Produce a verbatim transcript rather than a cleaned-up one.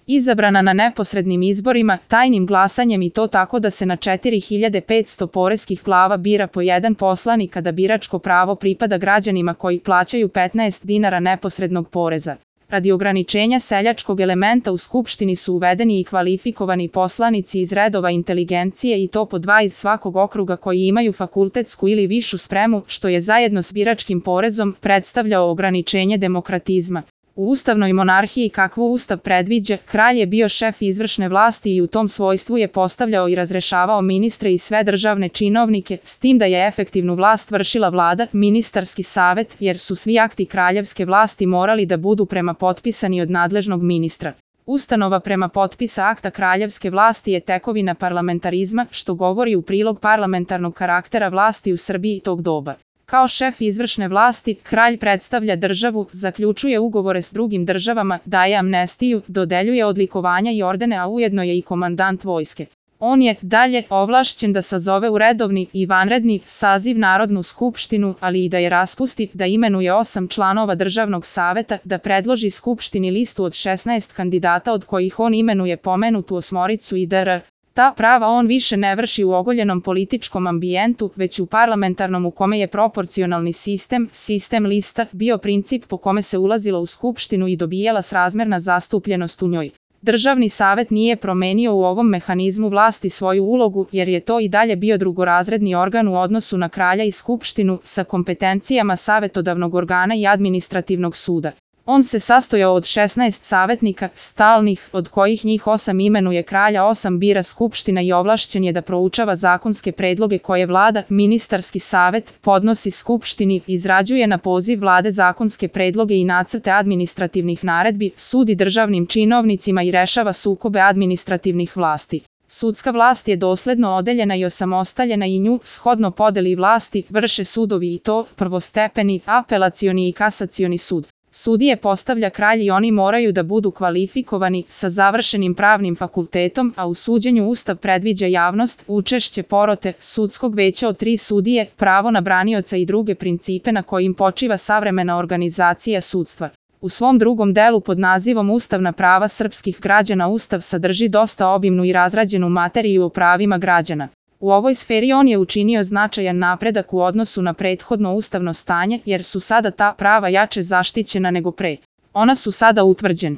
Izabrana na neposrednim izborima, tajnim glasanjem i to tako da se na četiri hiljade petsto poreskih glava bira po jedan poslanik, a da biračko pravo pripada građanima koji plaćaju petnaest dinara neposrednog poreza. Radi ograničenja seljačkog elementa u Skupštini su uvedeni i kvalifikovani poslanici iz redova inteligencije i to po dva iz svakog okruga koji imaju fakultetsku ili višu spremu, što je zajedno s biračkim porezom predstavljao ograničenje demokratizma. U ustavnoj monarhiji kakvu ustav predviđa, kralj je bio šef izvršne vlasti i u tom svojstvu je postavljao i razrešavao ministre i sve državne činovnike, s tim da je efektivnu vlast vršila vlada, ministarski savet, jer su svi akti kraljevske vlasti morali da budu prema potpisani od nadležnog ministra. Ustanova prema potpisa akta kraljevske vlasti je tekovina parlamentarizma, što govori u prilog parlamentarnog karaktera vlasti u Srbiji tog doba. Kao šef izvršne vlasti, kralj predstavlja državu, zaključuje ugovore s drugim državama, daje amnestiju, dodeljuje odlikovanja i ordene, a ujedno je i komandant vojske. On je, dalje, ovlašćen da sazove u redovni i vanredni saziv Narodnu skupštinu, ali i da je raspusti, da imenuje osam članova državnog saveta, da predloži skupštini listu od šesnaest kandidata od kojih on imenuje pomenutu osmoricu i dr. Ta prava on više ne vrši u ogoljenom političkom ambijentu, već u parlamentarnom u kome je proporcionalni sistem, sistem lista, bio princip po kome se ulazilo u skupštinu i dobijala srazmerna zastupljenost u njoj. Državni savet nije promenio u ovom mehanizmu vlasti svoju ulogu, jer je to i dalje bio drugorazredni organ u odnosu na kralja i skupštinu, sa kompetencijama savetodavnog organa i administrativnog suda. On se sastojao od šesnaest savetnika, stalnih, od kojih njih osam imenuje kralja, osam bira skupština i ovlašćen je da proučava zakonske predloge koje vlada, ministarski savet, podnosi skupštini, izrađuje na poziv vlade zakonske predloge i nacrte administrativnih naredbi, sudi državnim činovnicima i rešava sukobe administrativnih vlasti. Sudska vlast je dosledno odeljena i osamostaljena i nju, shodno podeli vlasti, vrše sudovi i to, prvostepeni, apelacioni i kasacioni sud. Sudije postavlja kralj i oni moraju da budu kvalifikovani, sa završenim pravnim fakultetom, a u suđenju Ustav predviđa javnost, učešće porote, sudskog veća od tri sudije, pravo na branioca i druge principe na kojim počiva savremena organizacija sudstva. U svom drugom delu pod nazivom Ustavna prava srpskih građana Ustav sadrži dosta obimnu i razrađenu materiju o pravima građana. U ovoj sferi on je učinio značajan napredak u odnosu na prethodno ustavno stanje, jer su sada ta prava jače zaštićena nego pre. Ona su sada utvrđena.